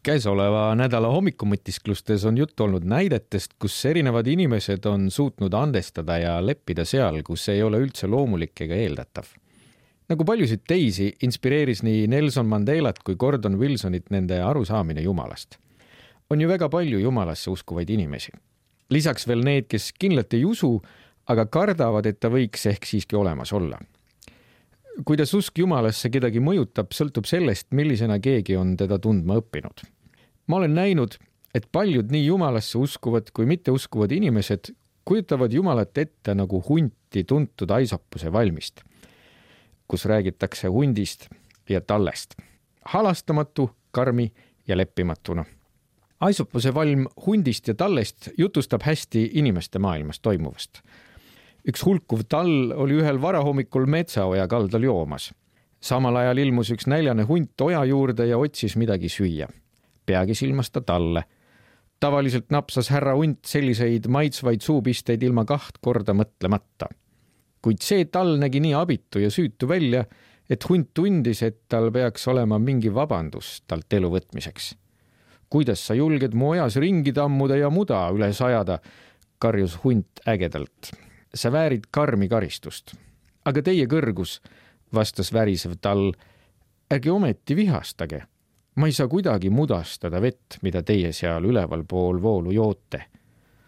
Käesoleva nädala hommikumõtisklustes on juttu olnud näidetest, kus erinevad inimesed on suutnud andestada ja leppida seal, kus ei ole üldse loomulik ega eeldatav. Nagu paljusid teisi, inspireeris nii Nelson Mandelat kui Gordon Wilsonit nende arusaamine Jumalast. On ju väga palju Jumalasse uskuvaid inimesi. Lisaks veel need, kes kindlalt ei usu, aga kardavad, et ta võiks ehk siiski olemas olla. Kuidas usk Jumalasse kedagi mõjutab, sõltub sellest, millisena keegi on teda tundma õppinud. Ma olen näinud, et paljud nii Jumalasse uskuvad kui mitte uskuvad inimesed kujutavad Jumalat ette nagu hunti tuntud Aisopuse valmist, kus räägitakse hundist ja tallest. Halastamatu, karmi ja leppimatuna. Aisopuse valm hundist ja tallest jutustab hästi inimeste maailmas toimuvast. Üks hulkuv tall oli ühel varahommikul metsaoja kaldal joomas. Samal ajal ilmus üks näljane hunt oja juurde ja otsis midagi süüa. Peagi silmas ta talle. Tavaliselt napsas härra hunt selliseid maitsvaid suupisteid ilma 2 korda mõtlemata. Kuid see tall nägi nii abitu ja süütu välja, et hunt tundis, et tal peaks olema mingi vabandus talt elu võtmiseks. Kuidas sa julged mu ojas ringi tammuda ja muda üles ajada, karjus hunt ägedalt. Sa väärid karmi karistust. Aga teie kõrgus, vastas värisev tall, ärge ometi vihastage. Ma ei saa kuidagi mudastada vett, mida teie seal üleval pool voolu joote.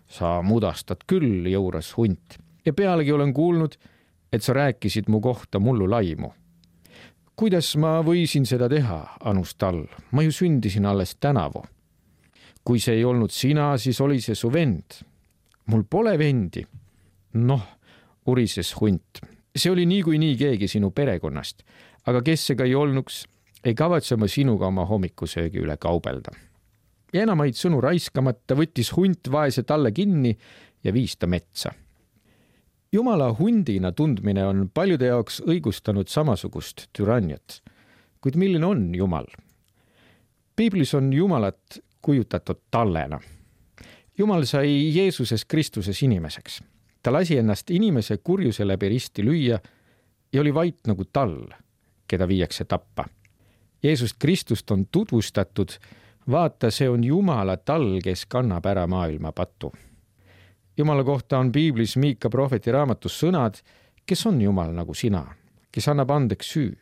Sa mudastad küll, jõuras hunt. Ja pealegi olen kuulnud, et sa rääkisid mu kohta mullu laimu. Kuidas ma võisin seda teha, anus tall? Ma ju sündisin alles tänavu. Kui see ei olnud sina, siis oli see su vend. Mul pole vendi. Noh, urises hunt. See oli nii keegi sinu perekonnast, aga kes see ka ei olnuks, ei kavatse ma sinuga oma hommikusöögi üle kaubelda. Ja enamaid sõnu raiskamata võttis hunt vaese talle kinni ja viis ta metsa. Jumala hundina tundmine on paljude jaoks õigustanud samasugust türanniat. Kuid milline on Jumal? Piiblis on Jumalat kujutatud tallena. Jumal sai Jeesuses Kristuses inimeseks. Ta lasi ennast inimese kurjuse läbi risti lüüa ja oli vait nagu tall, keda viiakse tappa. Jeesust Kristust on tutvustatud, vaata, see on Jumala tall, kes kannab ära maailma patu. Jumala kohta on Piiblis Miika prohveti raamatus sõnad, kes on Jumal nagu sina, kes annab andeks süü,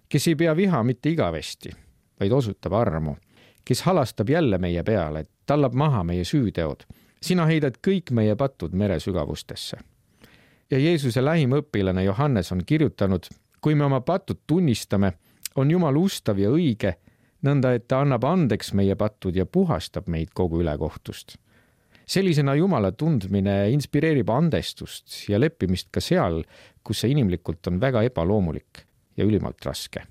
kes ei pea viha mitte igavesti, vaid osutab armu, kes halastab jälle meie peale, tallab maha meie süüteod. Sina heidad kõik meie patud mere sügavustesse. Ja Jeesuse lähim õpilane Johannes on kirjutanud, kui me oma patud tunnistame, on Jumal ustav ja õige, nõnda et ta annab andeks meie patud ja puhastab meid kogu ülekohtust. Sellisena Jumala tundmine inspireerib andestust ja leppimist ka seal, kus see inimlikult on väga ebaloomulik ja ülimalt raske.